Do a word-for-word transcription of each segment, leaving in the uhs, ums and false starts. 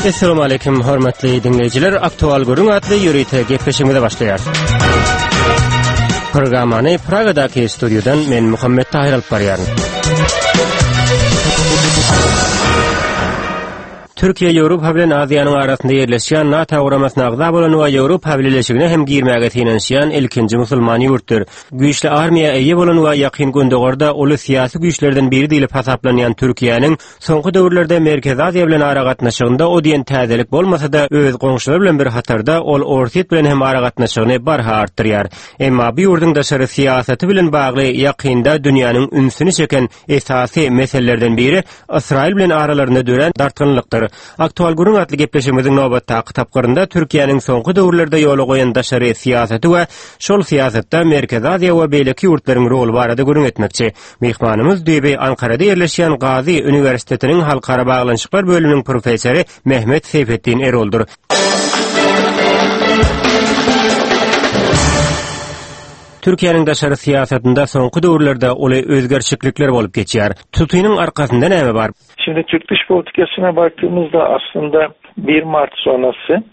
Essalamu aleýkum hormatly diňleýjiler. Aktual gürrüň atly ýörite gepleşigimize başlaýarys. Programmany Pragadaky studiýadan men Muhammet Tahir alyp barýaryn. Türkiýe Ýewropa bilen Aziýanyň arasynda ýerleşýän NATO guramasyna agza bolan we Ýewropa Bileleşigine hem girmäge synanyşýan ilkinji musulman ýurtdur. Güýçli armiýa eýe bolan we Ýakyn Gündogarda uly syýasy güýçlerden biri diýlip hasaplanýan Türkiýäniň soňky döwürlerde Merkezi Aziýa bilen aragatnaşygynda o diýen täzelik bolmasa-da, öz goňşulary bilen bir hatarda ol Orsýet bilen hem aragatnaşygyny barha artdyrýar. Emma bu ýurduň daşary syýasaty bilen bagly ýakynda dünýäniň ünsüni çeken esasy meselelerden biri Ysraýyl bilen aralarynda dörän dartgynlykdyr. Aktual gürrüň atly gepleşigimiziň nobatdaky tapgyrynda Türkiýäniň soňky döwürlerde ýola goýan daşary syýasaty we şol syýasatda Merkezi Aziýa we beýleki ýurtlaryň roly barada gürrüň etmekçi. Myhmanymyz düýbi Ankarada ýerleşýän Gazi uniwersitetiniň halkara baglanyşyklar bölüminiň professory Mehmet Seýfetdin Eroldyr. Türkiýäniň daşary syýasatynda soňky döwürlerde uly özgerişiklikler bolup geçýär. Tutynyň arkasynda näme bar? Şimdi Türk dış politikasına baktığımızda aslında bir Mart sonrası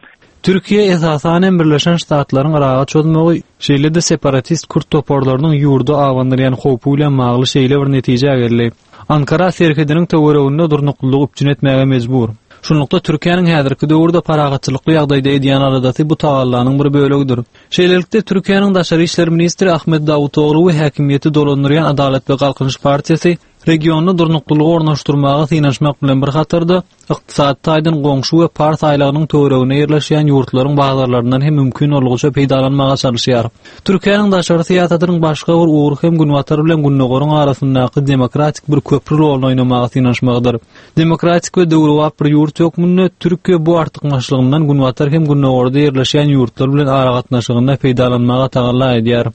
Türkiýe esasan hem Birleşen Ştatlaryň Yraga çozmagy, şeýle-de separatist kürt toparlarynyň ýurda abandyrýan howpy bilen bagly şeýle bir netijä geldi. Ankara serhediniň töwereginde durnuklylygy üpjün etmäge mejbur. Şunlukda Türkiýäniň häzirki döwürde parahatçylykly ýagdaýda edýän aladasy bu tagallanyň bir bölegidir. Şeýlelikde Türkiýäniň daşary işler ministri Ahmet Dawutoglu we häkimiýeti dolandyrýan Adalat we Galkynyş partiýasy regionda durnuklylygy ornaşdyrmaga synanyşmak bilen bir hatarda ykdysady taýdan goňşy we Pars aýlagynyň töwereginde ýerleşýän ýurtlaryň bazarlaryndan hem mümkin boldugyça peýdalanmaga çalyşýar. Türkiýäniň daşary syýasatynyň başga bir ugry hem Günbatar bilen Gündogaryň arasyndaky demokratik bir köprü roluny oýnamaga synanyşmagydyr. Demokratik we döwrebap bir ýurt hökmünde Türkiýe bu artykmaçlygyndan Günbatar hem Gündogarda ýerleşýän ýurtlar bilen aragatnaşygynda peýdalanmaga tagalla edýär.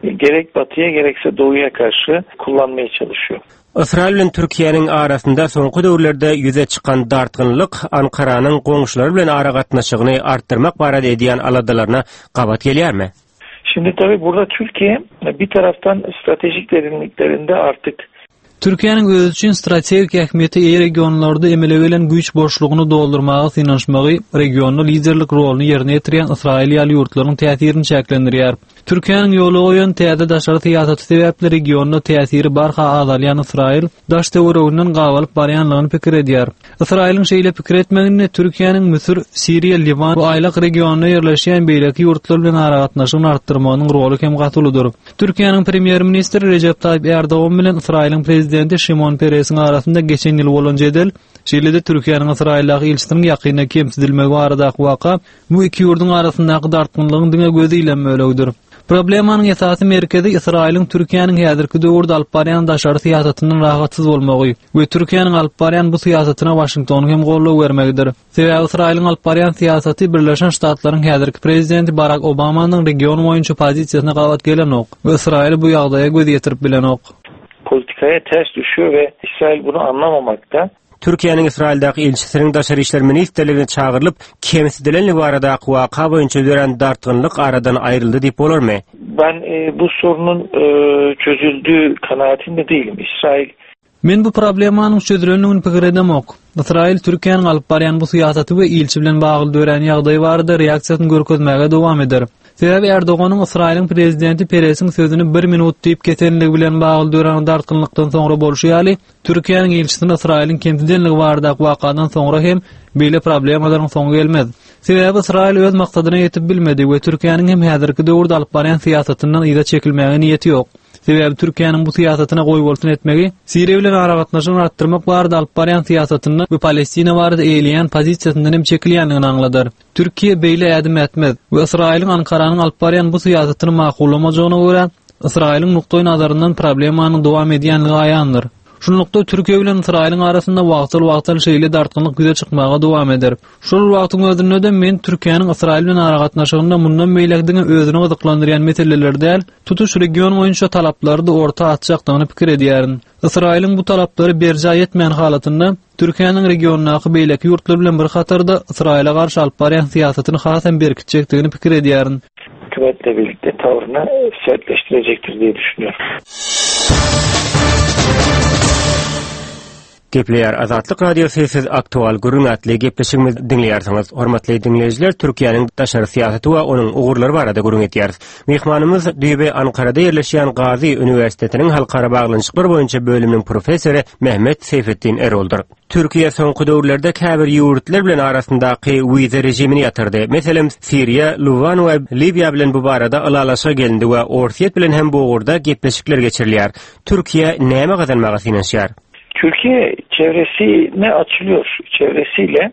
Gerek batıya gerekse doğuya karşı kullanmaya çalışıyor. Ysraýyl bilen Türkiýäniň arasynda soňky döwürlerde ýüze çykan dartgynlyk Ankaranyň goňşulary bilen aragatnaşygyny artdyrmak barada edýän aladalaryna gabat gelýärmi? Şimdi tabii burada Türkiye bir taraftan stratejik derinliklerinde artık Türkiýäniň özi üçin strategik ähmiýete eýe regionlarda emele gelen güýç boşlugyny doldurmaga synanyşmagy regionda liderlik roluny ýerine ýetirýän Ysraýyl ýaly ýurtlaryň täsirini çäklendirýär. Türkiýäniň ýola goýan täze daşary syýasaty sebäpli regionda täsiri barha azalýan Ysraýyl daş töwereginden gabalyp barýanlygyny pikir edýär. Ysraýylyň şeýle pikir etmeginde Türkiýäniň Müsür, Siriýa, Liwan we aýlak regionda ýerleşýän beýleki ýurtlar bilen aragatnaşygyny artdyrmagynyň roly hem gaty uludyr. Türkiýäniň premýer-ministri Rejep Taýyp Erdogan bilen Ysraýylyň prezidenti Şimon Peresiň arasynda geçen ýyl bolan jedel, şeýle-de Türkiýäniň Ysraýyldaky ilçisiniň ýakynda kemsidilmegi baradaky waka bu iki ýurduň arasyndaky dartgynlygyň diňe gözi ilen bölegidir. Problemanyň esasy merkezi Ysraýylyň Türkiýäniň häzirki döwürde alyp barýan daşary syýasatyndan rahatsyz bolmagy we Türkiýäniň alyp barýan bu syýasatyna Waşingtonyň hem goldaw bermegidir. Sebäbi Ysraýylyň alyp barýan syýasaty Birleşen Ştatlaryň häzirki prezidenti Barak Obamanyň region boýunça pozisiýasyna gabat gelenok we Ysraýyl bu ýagdaýa göz ýetirip bilenok. Politikaya ters düşüyor ve İsrail bunu anlamamakta. Türkiýäniň Ysraýyldaky ilçisiniň daşary işler ministrligine çagyrylyp, kemsidilenligi baradaky waka boýunça dörän dartgynlyk aradan aýryldy diýip bolarmy? Ben e, bu sorunun e, çözüldüğü kanaatinde değilim. İsrail Men bu problemanyň çözülendigini pikir edemok. Ysraýyl Türkiýäniň alyp barýan bu syýasaty we ilçi bilen bagly dörän ýagdaý barada reaksiýasyny görkezmäge dowam eder. Sebäbi Erdoganyň Ysraýylyň prezidenti Peresiň sözüni bir minut diýip kesenligi bilen bagly dörän dartgynlykdan soňra bolşy ýaly, Türkiýäniň ilçisini Ysraýylyň kemsidenligi baradaky wakadan soňra hem beýle problemalaryň soňy gelmez. Sebäbi Ysraýyl öz maksadyna ýetip bilmedi we Türkiýäniň hem häzirki döwürde alyp barýan syýasatyndan yza çekilmäge niýeti ýok. Sebäbi Türkiýäniň bu syýasatyna goýbolsun etmegi Siriýa bilen aragatnaşygyny artdyrmak barada alyp barýan syýasatyndan we Palestina barada eýeleýän pozisiýasyndan hem çekilýändigini aňladar. Türkiýe beýle ädim ätmez we Ysraýylyň Ankaranyň alyp barýan bu syýasatyny makullamajagyna görä Ysraýylyň nukdaý nazaryndan problemanyň dowam edýänligi aýandyr. Şunlukda Türkiýe bilen Ysraýylyň arasynda wagtal-wagtal şeýle dartgynlyk ýüze çykmaga dowam eder. Şol wagtyň özünde-de men Türkiýäniň Ysraýyl bilen aragatnaşygynda mundan beýläk diňe özüni gyzyklandyrýan meseleler däl, tutuş region boýunça talaplary-da orta atjakdygyny pikir edýärin. Ysraýylyň bu talaplary berjaý etmeýän halatynda Türkiýäniň regiondaky beýleki ýurtlar bilen bir hatarda Ysraýyla garşy alyp barýan syýasatyny has hem berkitjekdigini pikir edýärin. Hükümetle birlikte tavrını sertleştirecektir diye düşünüyorum. Gepleýär Azatlyk Radiosy siz aktual gürrüň atly gepleşigimizi diňleýärsiňiz. Hormatly diňleýjiler, Türkiýäniň daşary syýasaty we onuň ugurlary barada gürrüň edýäris. Myhmanymyz Düýbe Ankarada ýerleşýän Gazi Uniwersitetiniň halkara baglanyşyklar boýunça bölüminiň professory Mehmet Seyfettin Eroldyr. Türkiýe soňky döwürlerde käbir ýurtlar bilen arasyndaky wiza rejimini ýatyrdy. Meselem, Siriýa, Liwan we Liwiýa bilen bu barada ylalaşyga gelindi we Orsýet bilen hem bu ugurda gepleşikler geçirilýär. Türkiýe näme gazanmaga synanyşýar? Türkiye çevresine açılıyor. Çevresiyle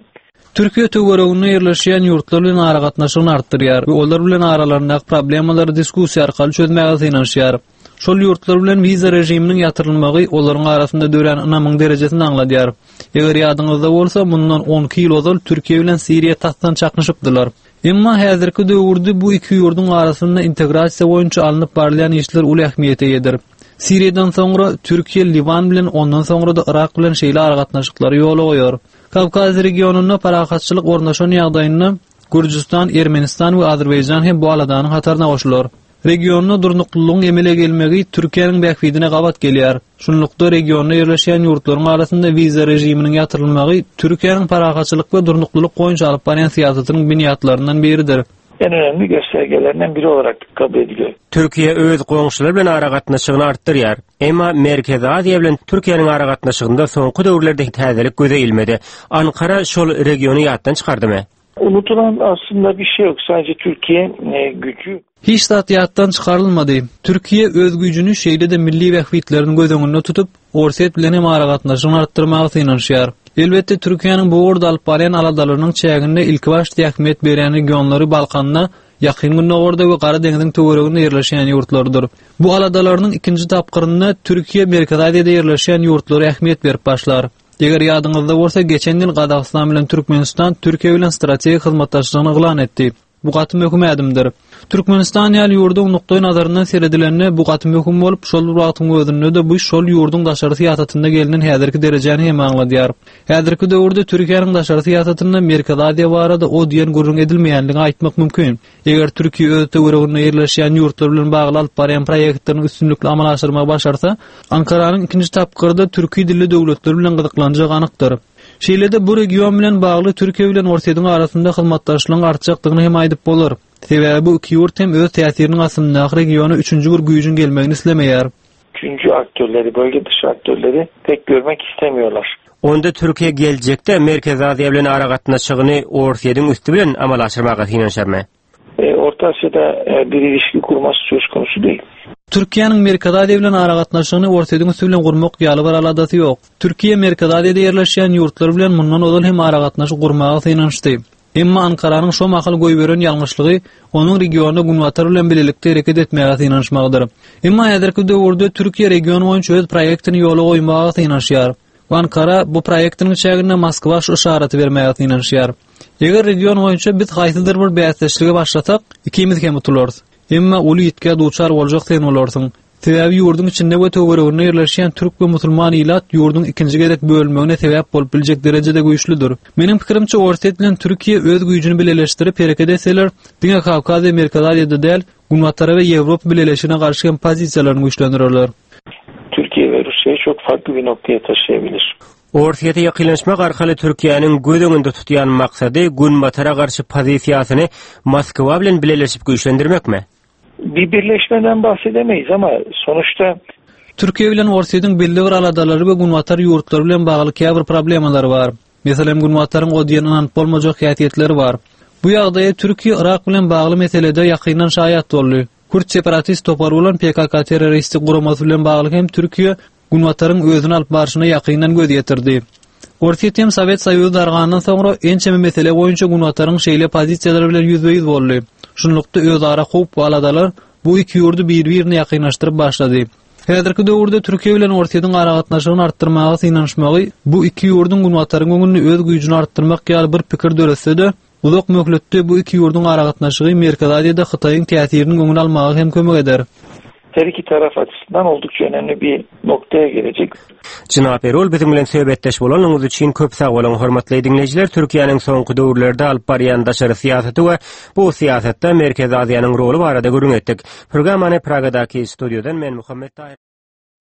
Türkiýe töwereginde ýerleşýän ýurtlar bilen aragatnaşygyny artdyrýar we olar bilen aralaryndaky problemalary diskussiýa arkaly çözmäge synanyşýar. Şol ýurtlar bilen wiza rejiminiň ýatyrylmagy olaryň arasynda dörän ynamyň derejesini aňladýar. Eger ýadyňyzda bolsa, mundan on iki ýyl ozal Türkiýe bilen Siriýa tasdan çaknyşypdylar. Emma häzirki döwürde bu iki ýurduň arasynda integrasiýa boýunça alnyp barylýan işler uly ähmiýete eýedir. Siriýadan soňra Türkiýe Liwan bilen, ondan soňra da Irak bilen şeýle aragatnaşyklary ýola goýar. Kawkaz regionynda parahatçylyk ornaşan ýagdaýynda Gürjüstan, Ermenistan we Azerbaýjan hem bu aladanyň hataryna goşular. Regionda durnuklylygyň emele gelmegi Türkiýäniň bähbidine gabat gelýär. Şunlukda regionda ýerleşýän ýurtlaryň arasynda wiza rejiminiň ýatyrylmagy Türkiýäniň parahatçylyk we durnuklylyk boýunça alyp barýan syýasatynyň binýatlaryndan biridir. En önemli göstergelerinden biri olarak kabul ediliyor. Türkiýe öz goňşulary bilen aragatnaşygyny artdyrýar. Emma Merkezi Aziýa bilen Türkiýäniň aragatnaşygynda soňky döwürlerde täzelik göze ilmedi. Ankara şol regiony ýatdan çykardymy? Unutulan aslında bir şey yok. Sadece Türkiye, e, gücü. Hiç zat ýatdan çykarylmady. Türkiýe öz güýjüni şeýle de milli bähbitlerini göz öňünde tutup, Orsýet bilen hem aragatnaşygyny artdyrmaga synanyşýar. Elbetde Türkiýäniň bu ugurda alyp barýan aladalarynyň çäginde ilki başda ähmiýet berýän regionlary Balkanda, Ýakyn Gündogarda we Gara deňziň töwereginde ýerleşýän ýurtlardyr. Bu aladalarynyň ikinji tapgyrynda Türkiýe Merkezi Aziýada ýerleşýän ýurtlara ähmiýet berip başlar. Eger ýadyňyzda bolsa, geçen ýyl Gazagystan bilen Türkmenistan Türkiýe bilen strategik hyzmatdaşlygyny yglan etdi. Bu gaty möhüm ädimdir. Türkmenistan ýaly ýurduň nukdaý nazaryndan seredilende bu gaty möhüm bolup, şol bir wagtyň özünde de bu şol ýurduň daşary syýasatynda gelinen häzirki derejäni hem aňladýar. Häzirki döwürde Türkiýäniň daşary syýasatynda Merkezi Aziýa barada o diýen gürrüň edilmeýänligini aýtmak mümkin. Eger Türkiýe öz töwereginde ýerleşýän ýurtlar bilen bagly alyp barýan proýektlerini üstünlikli amala aşyrmagy başarsa, Ankaranyň ikinji tapgyrda türki dilli döwletler bilen gyzyklanjagy anykdyr. Şeýle-de bu region bilen bagly Türkiýe bilen Orsýetiň arasynda hyzmatdaşlygyň artjakdygyny hem aýdyp bolar. Sebäbi bu iki ýurt hem öz täsiriniň astyndaky regiona üçünji bir güýjüň gelmegini islemeýär. Üçüncü aktörleri, bölge dışı aktörleri pek görmek istemiyorlar. Onda Türkiýe geljekde Merkezi Aziýa bilen aragatnaşygyny Orsýetiň üstü bilen amala aşyrmaga synanyşarmy? E, Orta Asya'da, e, bir ilişki kurması söz konusu değil. Türkiýäniň Merkezi Aziýa bilen aragatnaşygyny Orsýetiň üstü bilen gurmak ýaly bir aladasy ýok. Türkiýe Merkezi Aziýada ýerleşýän ýurtlar bilen mundan ozal hem aragatnaşyk gurmaga synanyşdy. Emma Ankaranyň şo mahal goýberen ýalňyşlygy onuň regionda Günbatar bilen birlikde hereket etmäge synanyşmagydyr. Emma häzirki döwürde Türkiýe region boýunça öz proýektini ýola goýmaga synanyşýar. Ankara bu proýektiniň çäginde Moskwa şu işareti bermäge synanyşýar. Eger region boýunça biz haýsydyr bir bäsdeşlige başlasak, ikimiz hem utularys. Emma uly ýitgä duçar boljak sen bolarsyň. Sebäbi ýurduň içinde we töwereginde ýerleşýän türk we musulman ilat ýurduň ikinji gezek bölünmegine sebäp bolup biljek derejede güýçlüdir. Meniň pikirimçe Orsýet bilen Türkiýe öz güýjüni bileleşdirip hereket etseler, diňe Kawkaz we Merkezi Aziýada däl, Günbatara we Ýewropa bileleşigine garşy hem pozisiýalaryny güýçlendirirler. Türkiye ve Rusya'yı çok farklı bir noktaya taşıyabilir. Orsýete ýakynlaşmak arkaly Türkiýäniň göz öňünde tutýan maksady Günbatara garşy pozisiýasyny Moskwa bilen bileleşip güýçlendirmekmi? Bir birleşmeden bahsedemeyiz ama sonuçta Türkiýe bilen Orsýetiň belli bir aladalary we Günbatar ýurtlary bilen bagly käbir problemalary bar. Meselem, Günbataryň o diýen ynanyp bolmajak häsiýetleri bar. Bu ýagdaýa Türkiýe Irak bilen bagly meselede ýakyndan şaýat boldy. Kürt separatist topary bolan P K K terroristik guramasy bilen bagly hem Türkiýe Günbataryň özüni alyp barşyna ýakyndan göz ýetirdi. Orsýet hem Sowet Soýuzy dargandan soňra ençeme mesele boýunça Günbataryň şeýle pozisiýalary bilen ýüzbe-ýüz boldy. Şunlukda özara howp we aladalar bu iki ýurdy bir-birine ýakynlaşdyryp başlady. Häzirki döwürde Türkiýe bilen Orsýetiň aragatnaşygyny artdyrmaga synanyşmagy bu iki ýurduň Günbataryň öňünde öz güýjüni artdyrmak ýaly bir pikir döretse-de, uzak möhletde bu iki ýurduň aragatnaşygy Merkezi Aziýada Hytaýyň täsiriniň öňüni almaga hem kömek eder. Her iki taraf açısından oldukça önemli bir noktaya gelecek. Jenap Erol, bizim bilen söhbetdeş bolanyňyz üçin köp sag boluň. Hormatly dinleýjiler, Türkiýäniň soňky döwürlerde alyp barýan daşary syýasaty we bu syýasatda Merkezi Aziýanyň roly barada gürrüň etdik. Programmany Pragadaky studiýadan men Muhammet Taýyr.